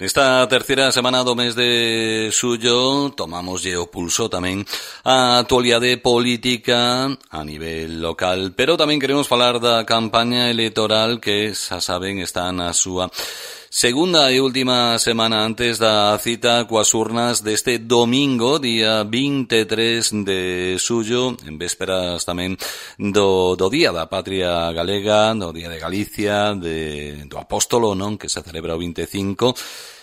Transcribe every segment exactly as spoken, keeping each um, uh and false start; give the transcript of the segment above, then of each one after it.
Esta terceira semana do mes de xullo tomamoslle o pulso tamén a actualidade política a nivel local, pero tamén queremos falar da campaña electoral que, xa saben, está na súa segunda e última semana antes da cita coas urnas deste domingo, día vinte e tres de xullo, en vésperas tamén do, do Día da Patria Galega, do Día de Galicia, de, do Apóstolo, non, que se celebra o vinte e cinco.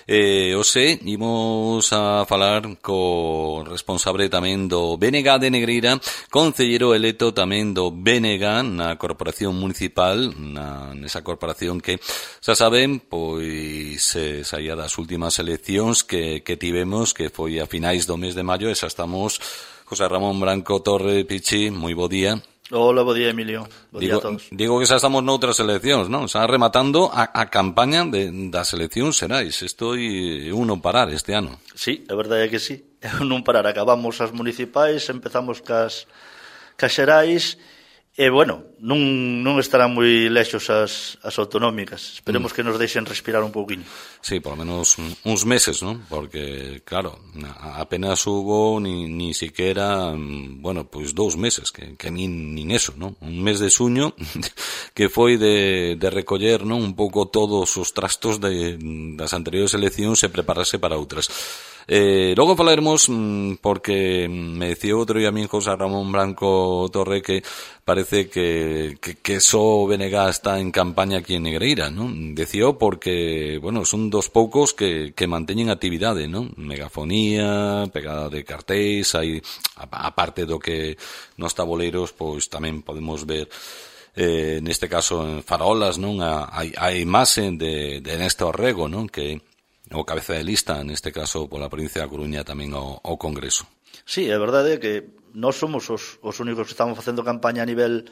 Eh, ose, imos a falar co responsable tamén do B N G de Negreira, concellero electo tamén do B N G na Corporación Municipal, na, nesa corporación que, xa saben, pois se saía das últimas eleccións que, que tivemos, que foi a finais do mes de maio, e xa estamos. José Ramón Branco Torre, Pichi, moi bo día. Hola, bo día, Emilio. Bo digo, día a todos. Digo que xa estamos noutras eleccións, non? Xa rematando a, a campaña de, das eleccións xerais. Isto é un non parar este ano. Sí, a verdade é que sí. É un non parar. Acabamos as municipais, empezamos cas, cas xerais, e, bueno, non, non estarán moi lexos as, as autonómicas. Esperemos mm. que nos deixen respirar un pouquinho. Sí, por lo menos uns meses, ¿no? Porque, claro, apenas hubo ni, ni siquiera, bueno, pues dous meses, que, que nin, nin eso, ¿no? Un mes de xuño que foi de, de recoller, ¿no? Un pouco todos os trastos de, das anteriores eleccións e prepararse para outras. Eh, logo falaremos, porque me decía outro día a mí José Ramón Branco Torre que parece que, que, que só o B N G está en campaña aquí en Negreira, ¿no? Decía porque, bueno, son dos poucos que, que manteñen actividade, ¿no? Megafonía, pegada de cartéis, hai, aparte do que nos taboleiros, pois tamén podemos ver eh, neste caso en farolas, non? A, a, a imaxe de, de Néstor Rego, non? Que o cabeza de lista, neste caso, pola provincia da Coruña tamén ao, ao Congreso. Sí, a verdade é que nós somos os, os únicos que estamos facendo campaña a nivel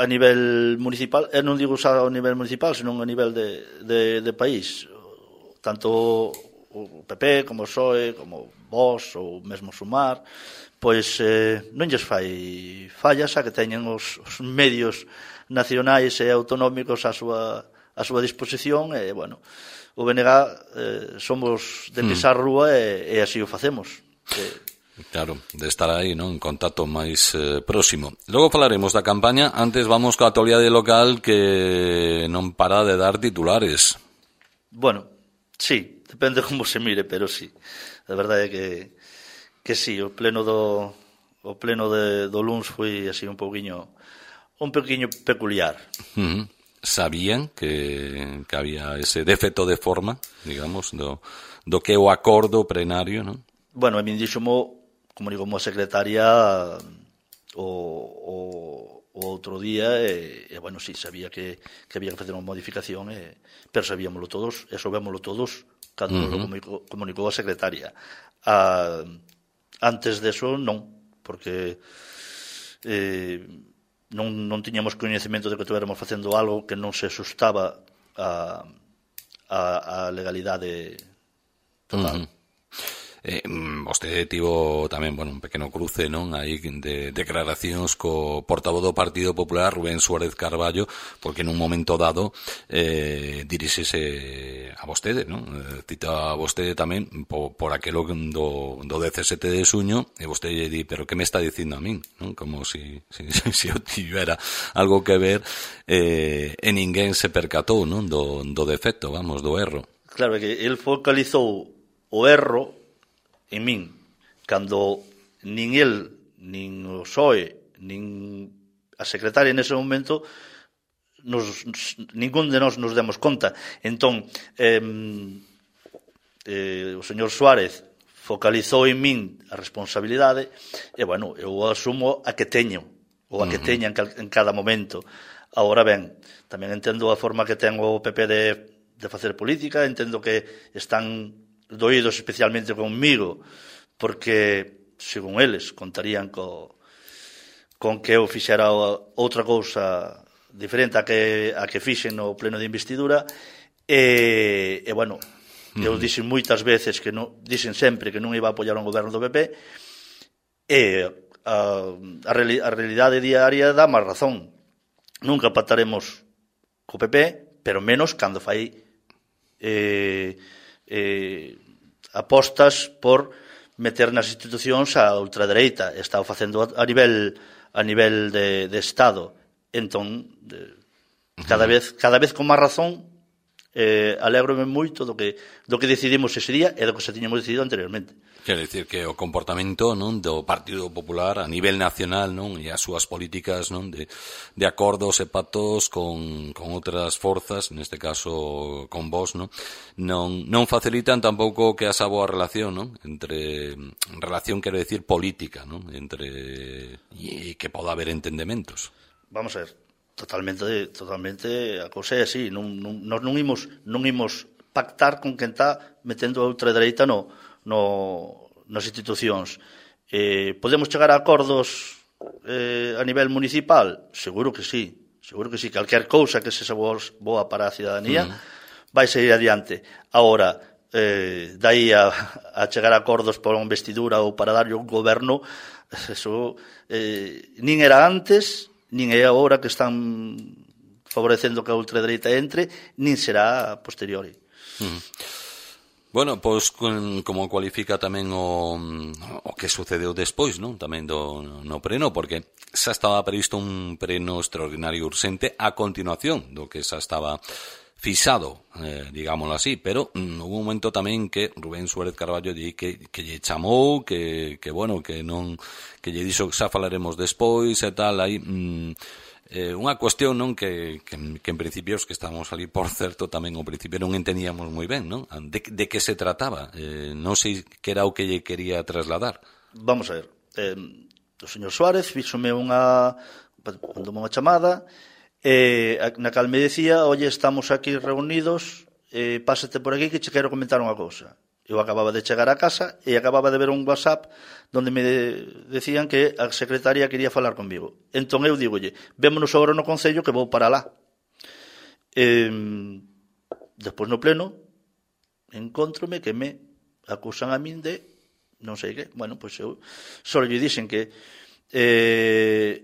a nivel municipal, e non digo xa a nivel municipal, senón a nivel de, de, de país. Tanto o P P como o P S O E, como Vox ou mesmo Sumar, pois eh, non lles fai fallas a que teñen os, os medios nacionais e autonómicos a súa, a súa disposición, e, bueno, o B N G eh, somos de pisar hmm. rúa e, e así o facemos. E, Claro, de estar aí, non, en contacto máis eh, próximo. Logo falaremos da campaña, antes vamos coa actualidade local que non para de dar titulares. Bueno, sí, depende como se mire, pero sí. A verdade é que que sí, o pleno do o pleno de, do luns foi así un pouquiño un pouquiño peculiar. Uh-huh. Sabían que, que había ese defecto de forma, digamos, do, do que o acordo plenario, non? Bueno, a min dixomo, como digo, a secretaria o, o, o outro día, e, e bueno, sí, sabía que, que había que facer unha modificación, e, pero sabíamoslo todos, e soubémoslo todos cando uh-huh. lo comunicou, comunicou a secretaria. A, antes deso, non, porque eh, non, non tiñamos coñecemento de que tuéramos facendo algo que non se asustaba a, a, a legalidade total. Uh-huh. Eh, vostede tivo tamén, bueno, un pequeno cruce, non, aí de declaracións co portavoz do Partido Popular, Rubén Suárez Carballo, porque nun momento dado eh, dirixese a vostede, non? Eh, cita a vostede tamén por, por aquelo do, do dezasete de xuño, e vostede lle di, pero que me está dicindo a min, non? Como si, si, si eu tivera algo que ver, eh, e ninguén se percatou, non? Do, do defecto, vamos, do erro. Claro, que el focalizou o erro en min, cando nin el, nin o P S O E, nin a secretaria nese momento, nos, ningún de nós nos demos conta. Entón, eh, eh, o señor Suárez focalizou en min a responsabilidade, e, bueno, eu asumo a que teño, ou a que teña en cada momento. Agora ben, tamén entendo a forma que ten o P P de, de facer política, entendo que están doídos especialmente conmigo, porque, según eles, contarían co, con que eu fixera outra cousa diferente a que, a que fixen no pleno de investidura, e, e bueno, eu dixen moitas veces, que non, dixen sempre que non iba a apoiar un goberno do P P, e a, a, a realidade diaria dá máis razón. Nunca pactaremos co P P, pero menos cando fai eh, eh, apostas por meter nas institucións a ultradereita. Está facendo a nivel a nivel de, de Estado. Entón, de, cada vez cada vez con máis razón, eh, alégrome moito do que do que decidimos ese día e do que se tiñamos decidido anteriormente. Quer dicir que o comportamento, non, do Partido Popular a nivel nacional, non, e as súas políticas, non, de, de acordos e pactos con, con outras forzas, neste caso con vos, non, non, non facilitan tampouco que esa boa relación, non, entre relación, quero dicir, política, non, entre e que poda haber entendementos. Vamos a ver, totalmente totalmente a cousa é así, non non nós non imos non imos pactar con quen está metendo a ultradereita no no, nas institucións. Eh, podemos chegar a acordos eh, a nivel municipal? Seguro que sí, seguro que sí. Calquer cousa que se boa para a cidadanía mm. vai seguir adiante. Agora, eh, dai a, a chegar a acordos para unha investidura ou para darlle un goberno, eso eh, nin era antes, nin é agora que están favorecendo que a ultradereita entre, nin será a posteriori. Mm. Bueno, pois como cualifica tamén o, o que sucedeu despois, non? Tamén do no preno, porque xa estaba previsto un preno extraordinario urxente a continuación do que xa estaba fixado, eh, digámoslo así, pero mm, hubo un momento tamén que Rubén Suárez Carballo di que, que lle chamou, que, que bueno, que non que lle dixo que xa falaremos despois e tal, aí mm, Eh, unha cuestión, non, que, que, que en principio os que estábamos ali, por certo, tamén ao principio non entendíamos moi ben, non? De, de que se trataba? Eh, non sei que era o que lle quería trasladar. Vamos a ver, eh, o señor Suárez fíxome unha mandoume unha chamada eh, na cal me decía, oye, estamos aquí reunidos, eh, pásate por aquí que che quero comentar unha cousa. Eu acababa de chegar a casa e acababa de ver un WhatsApp donde me decían que a secretaria quería falar conmigo. Entón eu digolle, vémonos agora no Concello que vou para lá. Eh, despois no pleno, encontrome que me acusan a min de non sei que. Bueno, pois eu só lle dixen que eh,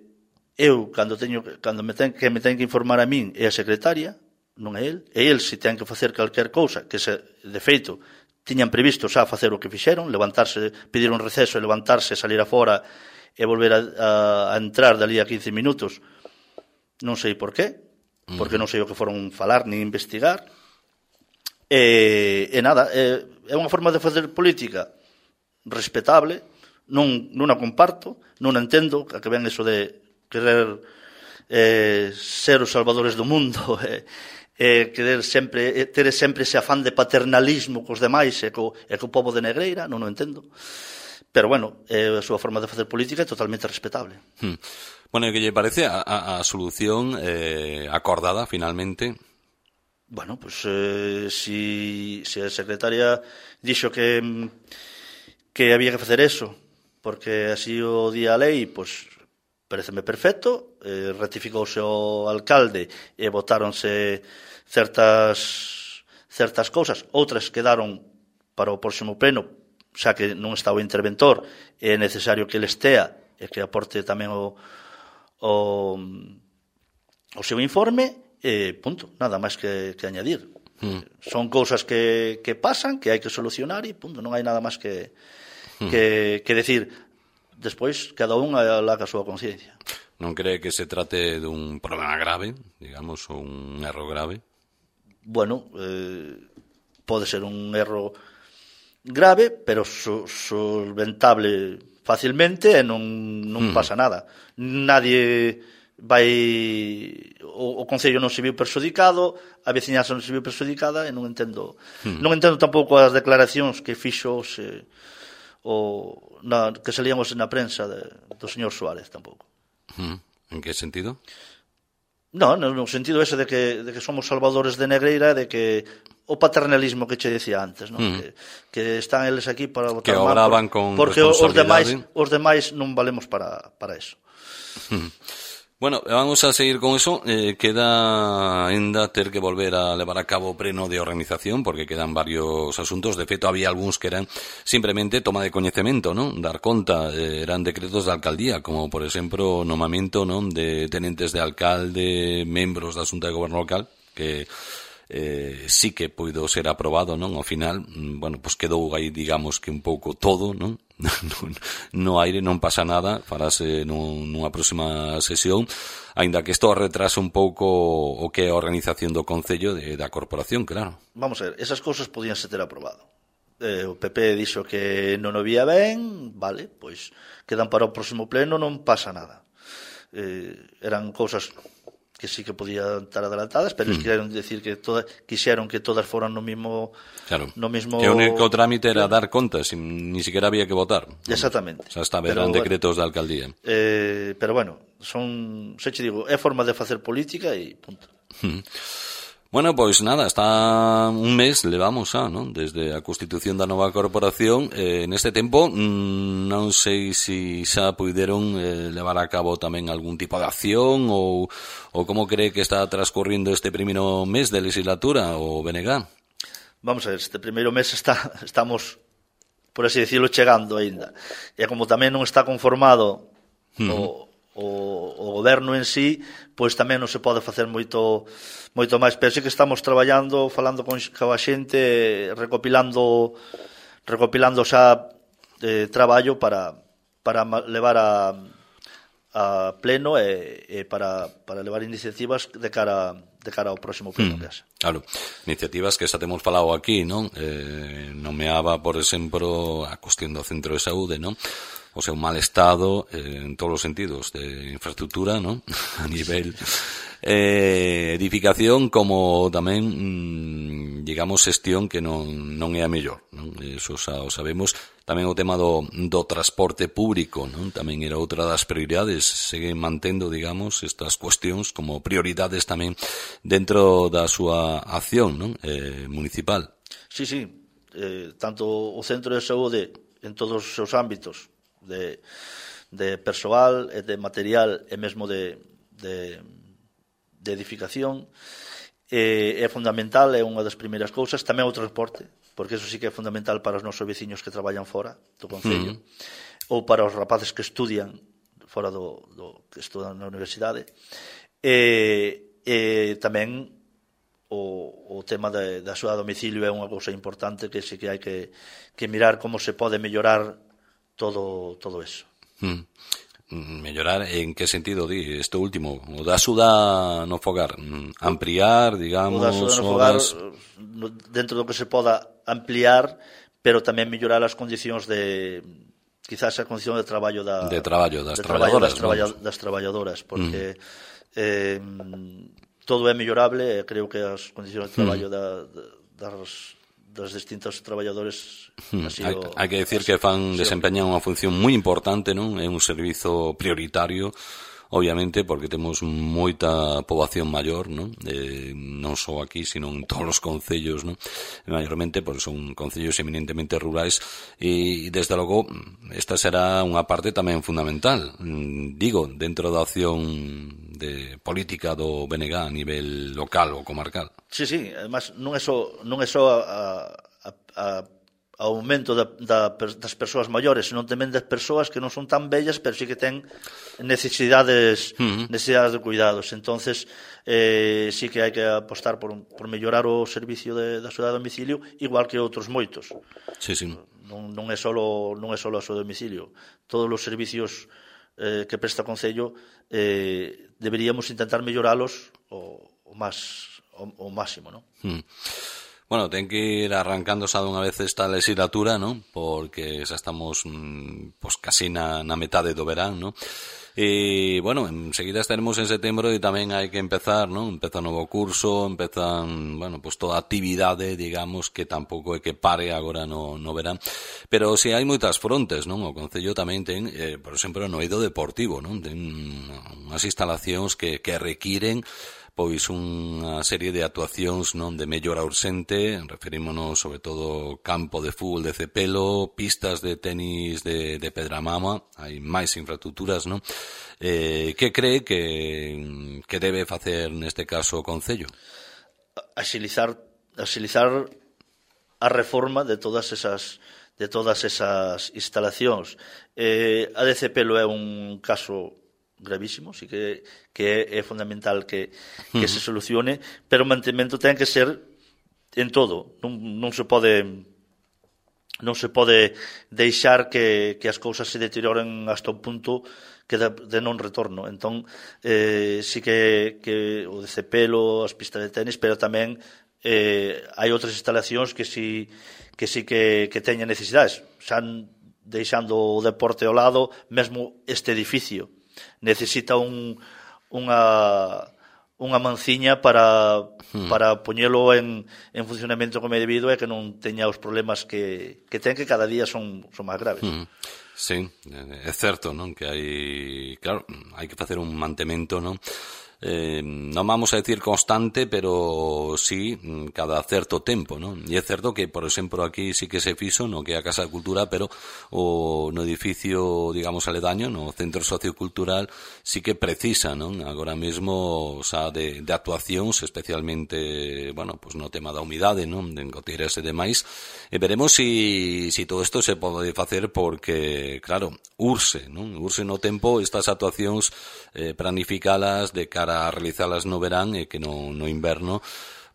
eu, cando teño cando me ten, que me ten que informar a min é a secretaria, non é el. E el, se ten que facer calquer cousa, que se, de feito, tiñan previsto xa facer o que fixeron, levantarse, pedir un receso e levantarse, salir afora e volver a, a, a entrar dali a quince minutos. Non sei por qué, porque non sei o que foron falar ni investigar. E, e nada, é, é unha forma de facer política respetable, non, non a comparto, non a entendo, a que ven eso de querer eh, ser os salvadores do mundo, e, eh, querer sempre, eh, ter sempre ese afán de paternalismo cos demais e co, e co pobo de Negreira, non o entendo. Pero, bueno, eh, a súa forma de facer política é totalmente respetable. Hmm. Bueno, que lle parece a, a, a solución eh, acordada, finalmente? Bueno, pues eh, si, si a secretaria dixo que, que había que facer eso, porque así o día a lei, pues pareceme perfecto, eh, ratificouse o alcalde e votáronse certas certas cousas, outras quedaron para o próximo pleno, xa que non está o interventor, é necesario que ele estea e que aporte tamén o, o, o seu informe, e punto, nada máis que, que añadir. Mm. Son cousas que, que pasan, que hai que solucionar e punto, non hai nada máis que, mm. que, que decir. Despois, cada un alá a súa conciencia. Non cree que se trate dun problema grave, digamos, ou un erro grave? Bueno, eh, pode ser un erro grave, pero so, solventable facilmente e non, non mm. pasa nada. Nadie vai... O, o Concello non se viu perxudicado, a veciñanza non se viu perxudicada e non entendo mm. non entendo tampouco as declaracións que fixo se, o, na, que salíamos na prensa de, do señor Suárez tampouco. Mm. En que sentido? No, no, no sentido ese de que, de que somos salvadores de Negreira, de que o paternalismo que che decía antes, ¿no? Mm. que, que están eles aquí para votar que obraban por, con porque os demais, os demais non valemos para, para eso. Mm. Bueno, vamos a seguir con eso. Eh, queda ainda ter que volver a levar a cabo o pleno de organización, porque quedan varios asuntos. De feito, había algúns que eran simplemente toma de coñecemento, non? Dar conta, eh, eran decretos de alcaldía, como, por exemplo, o nomamento, non, de tenentes de alcalde, membros da Xunta de Goberno Local, que eh, sí que puido ser aprobado, non? Ao final, bueno, pois quedou aí, digamos que un pouco todo, non? No aire, non pasa nada, farase nun, nunha próxima sesión, aínda que isto retrasa un pouco o que é a organización do Concello de, da Corporación, claro. Vamos a ver, esas cousas podíanse ter aprobado. Eh, o P P dixo que non o vía ben, vale, pois quedan para o próximo pleno, non pasa nada. Eh, eran cousas que sí que podían estar adelantadas, pero mm. quixeron decir que toda, quixeron que todas foran no mismo claro. no mismo que o único trámite era dar contas, ni siquiera había que votar. Exactamente. O sea, hasta eran decretos bueno, da alcaldía. Eh, pero bueno, son, se che digo, é forma de facer política e punto. Mm. Bueno, pois nada, está un mes, levamos xa, non? Desde a constitución da nova corporación. Eh, neste tempo, mmm, non sei se xa puideron eh, levar a cabo tamén algún tipo de acción ou, ou como cree que está transcorrindo este primeiro mes de legislatura o B N G? Vamos a ver, este primeiro mes está, estamos, por así decirlo, chegando aínda. E como tamén non está conformado uh-huh. o O, o goberno en sí, pois tamén non se pode facer moito moito máis, pero sí que estamos traballando, falando con, con a xente, recopilando recopilando xa eh, traballo para para levar a a pleno e, e para, para levar iniciativas de cara de cara ao próximo pleno. Mm, claro, iniciativas que xa temos falado aquí, non? Eh, nomeaba, por exemplo, a cuestión do centro de saúde, non? O sea, un mal estado eh, en todos os sentidos de infraestructura, ¿no? A nivel eh, edificación como tamén, mmm, digamos, xestión que non, non é a mellor, non? Eso xa o sabemos. Tamén o tema do, do transporte público, non? Tamén era outra das prioridades. Seguen mantendo, digamos, estas cuestións como prioridades tamén dentro da súa acción, non? Eh, municipal. Sí, sí. Eh, tanto o centro de saúde en todos os seus ámbitos, de, de persoal e de material e mesmo de, de, de edificación é, é fundamental, é unha das primeiras cousas. Tamén o transporte, porque eso sí que é fundamental para os nosos veciños que traballan fora do concello, uh-huh. ou para os rapaces que estudian fora do, do que estudan na universidade. E, e tamén o, o tema de, da axuda a domicilio é unha cousa importante que sí que hai que, que mirar como se pode mellorar todo todo eso. Mm. Mellorar en que sentido, di, isto último, o da axuda no fogar, ampliar, digamos, o da axuda no fogar, dentro do que se poda ampliar, pero tamén mellorar as condicións de, quizás a condición de traballo da de traballo das de traballadoras, traballo das, traballa, das traballadoras, porque mm. eh, todo é mellorable, e creo que as condicións de traballo mm. da, das dos distintos traballadores así hai, o, hai que decir que fan sí, desempeñan unha función moi importante, non? É un servizo prioritario, obviamente, porque temos moita poboación maior, non? Eh, non só aquí, sino en todos os concellos, non? Maiormente, porque son concellos eminentemente rurais e, desde logo, esta será unha parte tamén fundamental, digo, dentro da acción de política do B N G a nivel local ou comarcal. Sí, sí, además non é só non é só a, a, a aumento da, da, das persoas maiores, senón tamén das persoas que non son tan bellas, pero sí que ten necesidades uh-huh. necesidades de cuidados. Entonces, eh, sí que hai que apostar por, por mellorar o servicio de, da axuda a domicilio, igual que outros moitos. Sí, sí. Non, non é só non é só a axuda a domicilio. Todos os servicios eh, que presta o Concello eh, deberíamos intentar melloralos o, o máis o, o máximo, non? Hmm. Bueno, ten que ir arrancando xa dunha vez esta legislatura, non? Porque xa estamos mmm, pues, casi na, na metade do verán, non? E, bueno, enseguida estaremos en setembro e tamén hai que empezar, non? Empeza un novo curso, empezan, bueno, pues toda a actividade, digamos, que tampouco é que pare agora no, no verán. Pero si hai moitas frontes, non? O Concello tamén ten, eh, por exemplo, no eido deportivo, non? Ten unhas instalacións que, que requiren pois unha serie de actuacións, non, de mellora urxente. Referímonos sobre todo campo de fútbol de Cepelo, pistas de tenis de, de Pedramama, hai máis infraestructuras, non? Eh, que cree que, que debe facer neste caso o Concello? Axilizar, axilizar a reforma de todas esas de todas esas instalacións. Eh, a de Cepelo é un caso gravísimo, sí que, que é, é fundamental que, que se solucione, pero o mantemento ten que ser en todo, non, non se pode non se pode deixar que, que as cousas se deterioren hasta un punto que de, de non retorno. Entón, eh, sí que, que o de cepelo, as pistas de tenis, pero tamén eh, hai outras instalacións que sí que sí que, que teñen necesidades, xa deixando o deporte ao lado, mesmo este edificio necesita un, unha, unha manciña para, hmm. para poñelo en, en funcionamento como é debido e que non teña os problemas que, que ten, que cada día son, son máis graves. Hmm. Sí, é certo, non? Que hai, claro, hai que facer un mantemento, non? Eh, non vamos a decir constante, pero sí cada certo tempo, non? E é certo que, por exemplo, aquí sí que se fixo no que é a Casa de Cultura, pero o no edificio, digamos, aledaño, no Centro Sociocultural, sí que precisa, non? Agora mesmo, xa de, de actuacións, especialmente, bueno, pues no tema da humidade, non? De engoteiras e demais, e veremos si, si todo isto se pode facer porque, claro, urse, non? Urse no tempo estas actuacións eh, planificalas de cara a realizalas no verán e que no, no inverno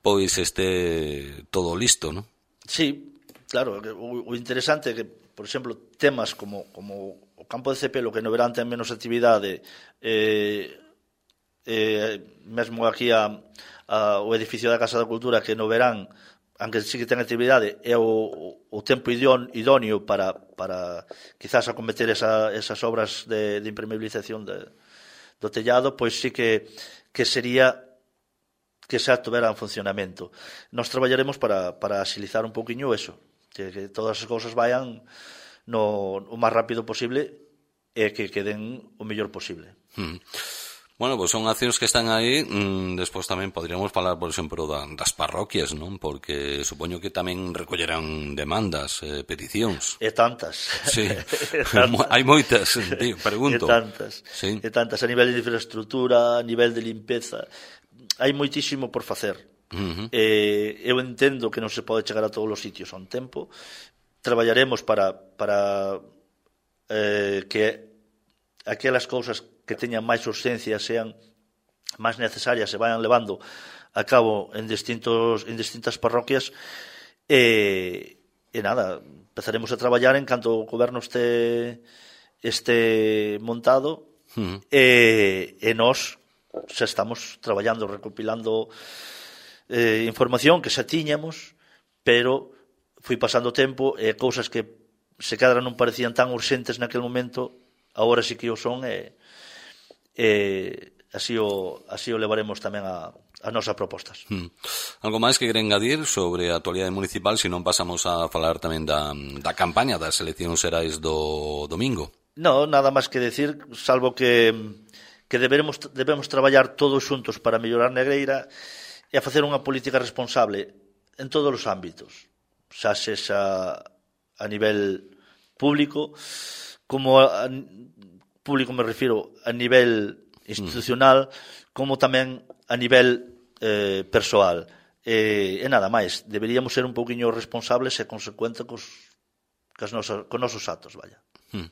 pois este todo listo, non? Sí, claro, o, o interesante é que, por exemplo, temas como, como o campo de cepelo, que no verán ten menos actividade, eh, eh, mesmo aquí a, a, o edificio da Casa da Cultura, que no verán, aunque sí que ten actividade, é o, o tempo idóneo para, para quizás acometer esa, esas obras de, de impermeabilización de do tellado, pois sí que, que sería que xa tuvera en funcionamento. Nos traballaremos para, para axilizar un poquinho eso, que, que todas as cousas vayan no, o máis rápido posible e que queden o mellor posible. Mm. Bueno, pois son accións que están aí. Mm, despois tamén poderíamos falar, por exemplo, da, das parroquias, non? Porque supoño que tamén recollerán demandas, eh, peticións. E tantas. Sí, tantas. Hai moitas, tío, pregunto. E tantas, sí. e tantas, a nivel de infraestructura, a nivel de limpeza. Hai moitísimo por facer. Uh-huh. Eh, eu entendo que non se pode chegar a todos os sitios a un tempo. Traballaremos para, para eh, que aquelas cousas que teñan máis urxencia sean máis necesarias e vayan levando a cabo en distintos en distintas parroquias e, e nada, empezaremos a traballar en canto o goberno este este montado uh-huh. e, e nós xa estamos traballando, recopilando eh, información que xa tiñamos, pero fui pasando tempo e cousas que se cadra non parecían tan urxentes naquele momento agora sí que o son e e así o, así o levaremos tamén a, a nosas propostas. Hmm. Algo máis que queren engadir sobre a actualidade municipal, se non pasamos a falar tamén da, da campaña das eleccións xerais do domingo? No, nada máis que decir, salvo que, que debemos, debemos traballar todos xuntos para mellorar Negreira e a facer unha política responsable en todos os ámbitos, xa sexa a nivel público, como a, público me refiro a nivel institucional, como tamén a nivel eh, persoal. E, e nada máis, deberíamos ser un pouquiño responsables e consecuentes cos, cos, nosos, cos nosos actos, vaya. Hmm.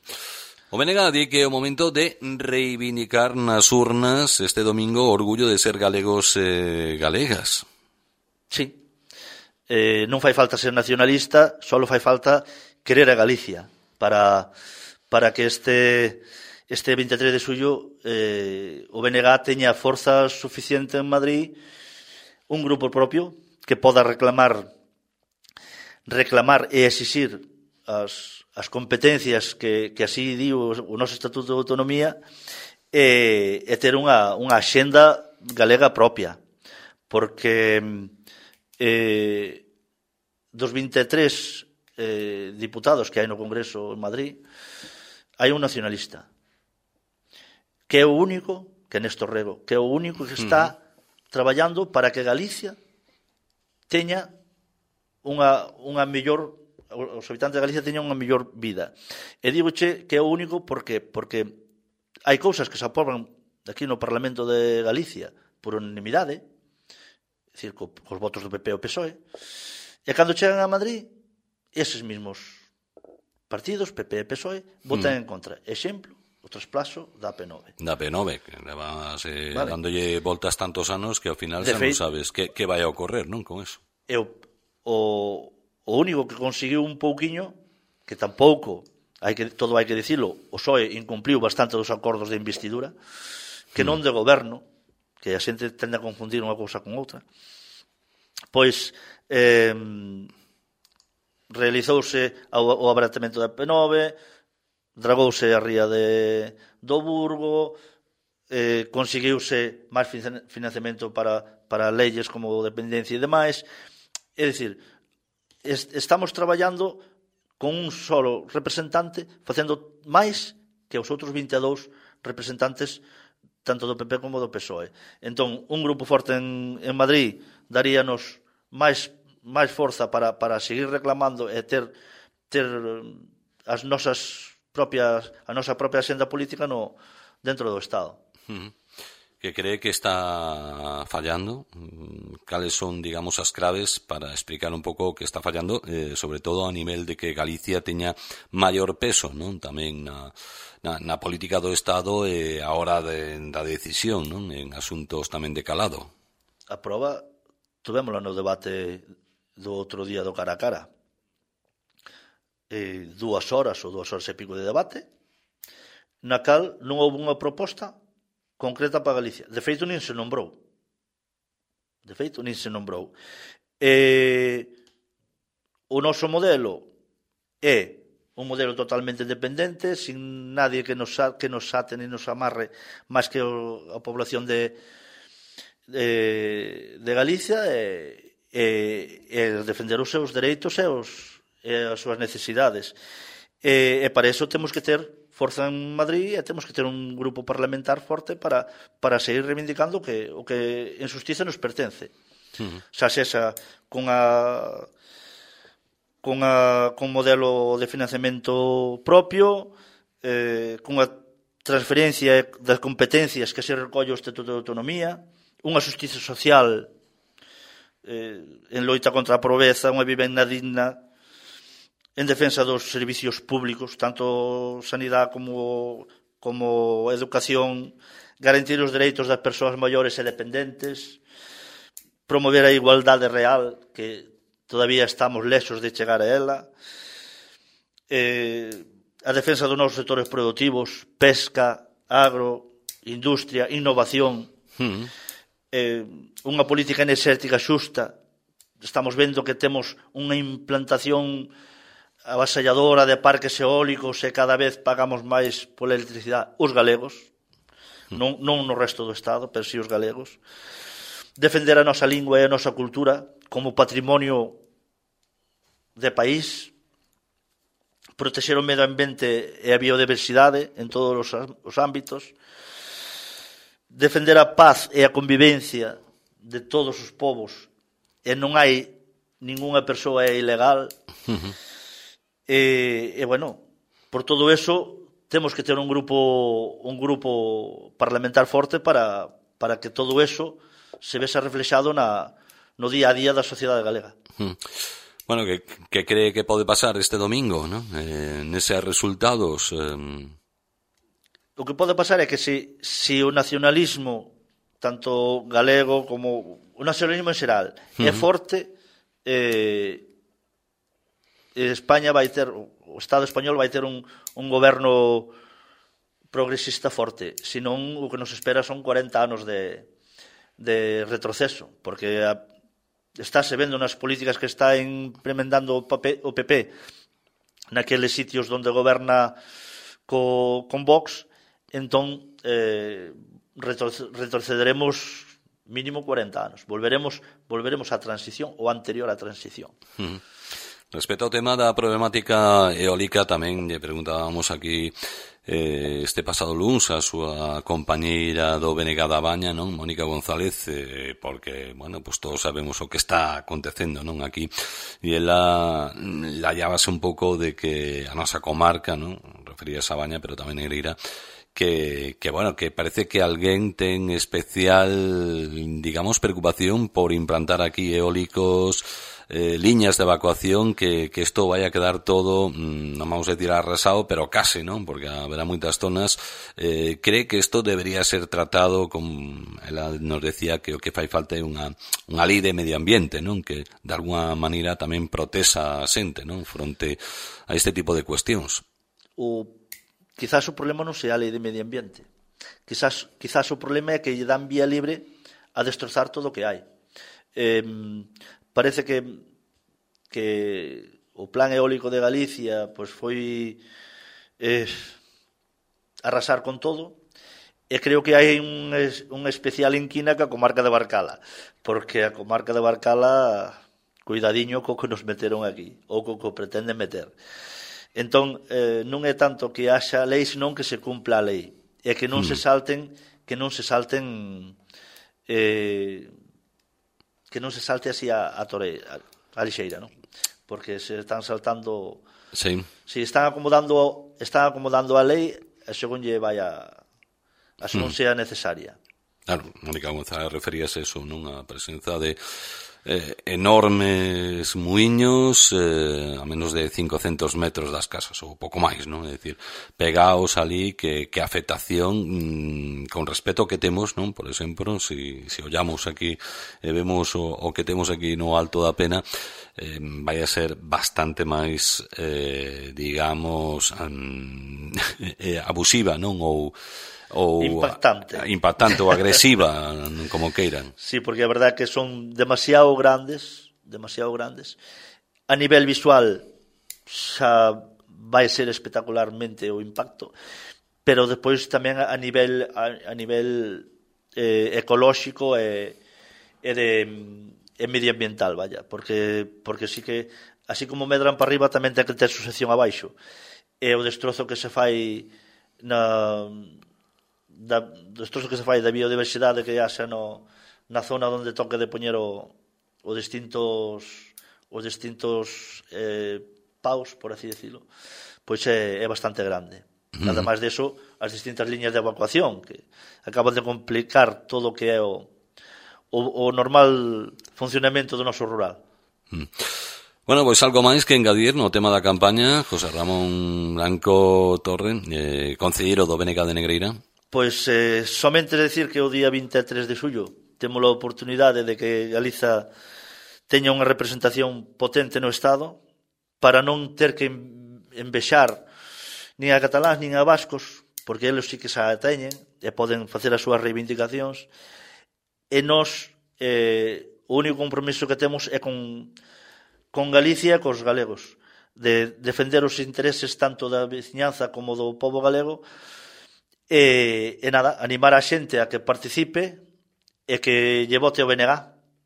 O B N G di que é o momento de reivindicar nas urnas este domingo o orgullo de ser galegos e galegas. Sí. Eh, non fai falta ser nacionalista, só fai falta querer a Galicia para, para que este... este veintitrés de xullo eh, o B N G teña forza suficiente en Madrid, un grupo propio que poda reclamar reclamar e exixir as, as competencias que, que así di o, o noso Estatuto de Autonomía e, e ter unha, unha axenda galega propia, porque eh, dos veintitrés eh, diputados que hai no Congreso en Madrid hai un nacionalista que é o único, que é Néstor Rego, que é o único que está uh-huh. traballando para que Galicia teña unha, unha mellor, os habitantes de Galicia teñan unha mellor vida. E digoche que é o único porque, porque hai cousas que se aproban aquí no Parlamento de Galicia por unanimidade, é dicir, co, cos votos do P P e o P S O E, e cando chegan a Madrid, eses mesmos partidos, P P e P S O E, votan uh-huh. en contra. Exemplo, o trasplazo da P nove. Da P nove, que levas eh, vale. dándolle voltas tantos anos que ao final de xa feito, non sabes que, que vai a ocorrer, non, con eso. E o, o, o único que conseguiu un pouquiño, que tampouco, hai que, todo hai que dicilo, o P S O E incumpliu bastante dos acordos de investidura, que non de goberno, que a xente tende a confundir unha cousa con outra, pois eh, realizouse o, o abaratamento da P nove, dragouse a ría de, do Burgo, eh, conseguiuse máis financiamento para, para leyes como dependencia e demais. É dicir, est, estamos traballando con un solo representante facendo máis que os outros vinte e dous representantes tanto do P P como do P S O E. Entón, un grupo forte en, en Madrid daríanos máis, máis forza para, para seguir reclamando e ter, ter as nosas propias, a nosa propia axenda política no, dentro do Estado. Uh-huh. Que cree que está fallando? Cales son, digamos, as claves para explicar un pouco o que está fallando, eh, sobre todo a nivel de que Galicia teña maior peso, non? Tamén na, na, na política do Estado e a hora de, da decisión, non? En asuntos tamén de calado. A proba, tuvémola no debate do outro día do cara a cara. Eh, dúas horas ou dúas horas e pico de debate, na cal non houve unha proposta concreta para Galicia. De feito, nin se nombrou. De feito, nin se nombrou. Eh, o noso modelo é un modelo totalmente dependente, sin nadie que nos, que nos ate ni nos amarre máis que o, a población de, de, de Galicia e, e, e defender os seus dereitos e, os, e as súas necesidades. E, e para eso temos que ter forza en Madrid e temos que ter un grupo parlamentar forte para, para seguir reivindicando que, o que en xustiza nos pertence. Uh-huh. Xa sexa con a con a con modelo de financiamento propio, eh, con a transferencia das competencias que se recolle o Estatuto de Autonomía, unha xustiza social eh, en loita contra a pobreza, unha vivenda digna, en defensa dos servicios públicos, tanto sanidade como, como educación, garantir os dereitos das persoas maiores e dependentes, promover a igualdade real, que todavía estamos lexos de chegar a ela, eh, a defensa dos nosos sectores productivos, pesca, agro, industria, innovación, mm. eh, unha política enerxética xusta. Estamos vendo que temos unha implantación avasalladora de parques eólicos e cada vez pagamos máis pola electricidade os galegos, non, non no resto do Estado, pero si os galegos. Defender a nosa lingua e a nosa cultura como patrimonio de país, protexer o medio ambiente e a biodiversidade en todos os, os ámbitos, defender a paz e a convivencia de todos os povos, e non hai ningunha persoa ilegal. Uh-huh. E, e, bueno, por todo eso temos que ter un grupo un grupo parlamentar forte para, para que todo eso se vese reflexado na, no día a día da sociedade galega. Hmm. Bueno, que, que cree que pode pasar este domingo, ¿no? Eh, neses resultados... Eh... O que pode pasar é que se, se o nacionalismo, tanto galego como o nacionalismo en xeral, uh-huh. é forte, eh, España vai ter, o Estado español vai ter un, un goberno progresista forte, senón o que nos espera son cuarenta anos de, de retroceso, porque a, estáse vendo nas políticas que está implementando o P P naqueles sitios onde goberna co, con Vox, entón eh, retrocederemos mínimo cuarenta anos, volveremos volveremos á transición ou anterior á transición. Uh-huh. Respecto ao tema da problemática eólica, tamén lle preguntábamos aquí eh, este pasado luns a súa compañeira do B N G da Baña, non, Mónica González, eh, porque, bueno, pues todos sabemos o que está acontecendo, non, aquí, e ela la llábase un pouco de que a nosa comarca, non, referíase a Baña, pero tamén Negreira, que, que, bueno, que parece que alguén ten especial, digamos, preocupación por implantar aquí eólicos eh, liñas de evacuación que, que isto vai a quedar todo, mmm, non vamos a tirar arrasado, pero case, non? Porque haberá moitas zonas. Eh, cree que isto debería ser tratado, como ela nos decía, que o que fai falta é unha, unha lei de medio ambiente, non? Que de alguna maneira tamén protexa a xente, non? Fronte a este tipo de cuestións. O, quizás o problema non sea a lei de medio ambiente. Quizás, quizás o problema é que lle dan vía libre a destrozar todo o que hai. Eh, parece que, que o plan eólico de Galicia pois foi eh, arrasar con todo, e creo que hai un, un especial inquina que a comarca de Barcala, porque a comarca de Barcala, cuidadiño co que nos meteron aquí, ou co que pretenden meter. Entón, eh, non é tanto que haxa lei, senón que se cumpla a lei. E que non mm. se salten, que non se salten, eh, que non se salte así a, a, tore, a, a lixeira, non? Porque se están saltando, sí. Si están acomodando, están acomodando a lei, e según lle vai a, a según mm. sea necesaria. Claro, Mónica González referíase eso, non? A presenza de eh, enormes muiños eh, a menos de cincocentos metros das casas, ou pouco máis, non? É dicir, pegaos ali que, que a afectación mmm, con respecto ao que temos, non? Por exemplo, si, si ollamos aquí e vemos o, o que temos aquí no Alto da Pena, eh, vai a ser bastante máis eh, digamos um, eh, abusiva, non? Ou ou impactante. impactante ou agresiva, como queiran. Sí, porque a verdade é que son demasiado grandes, demasiado grandes. A nivel visual xa vai ser espectacularmente o impacto, pero despois tamén a nivel a, a nivel eh, ecolóxico e, e de e medioambiental, vaya, porque porque sí que así como medran para arriba tamén ten que ter sucesión abaixo. E o destrozo que se fai na da, destrozo que se fai da biodiversidade que haxa no, na zona onde toque de poñer o, os distintos os distintos eh, paus, por así decirlo, pois é, é bastante grande. Mm. Ademais de eso, as distintas liñas de evacuación que acaban de complicar todo o que é o, o, o normal funcionamento do noso rural. Mm. Bueno, pois algo máis que engadir no tema da campaña, José Ramón Blanco Torre, eh, concelleiro do B N K de Negreira. Pois eh, somente decir que o día vinte e tres de xullo temos a oportunidade de que Galiza teña unha representación potente no Estado para non ter que envexar nin a cataláns nin a vascos, porque eles sí que xa teñen e poden facer as súas reivindicacións, e nós eh, o único compromiso que temos é con, con Galicia e cos galegos, de defender os intereses tanto da veciñanza como do pobo galego. E, e nada, animar a xente a que participe e que lle vote o B N G,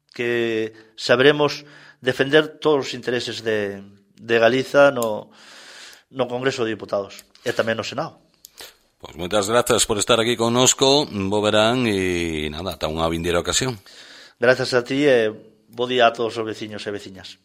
que saberemos defender todos os intereses de, de Galiza no, no Congreso de Diputados e tamén no Senado. Pois moitas grazas por estar aquí connosco, bo verán e nada, ata unha vindeira ocasión. Grazas a ti e bo día a todos os veciños e veciñas.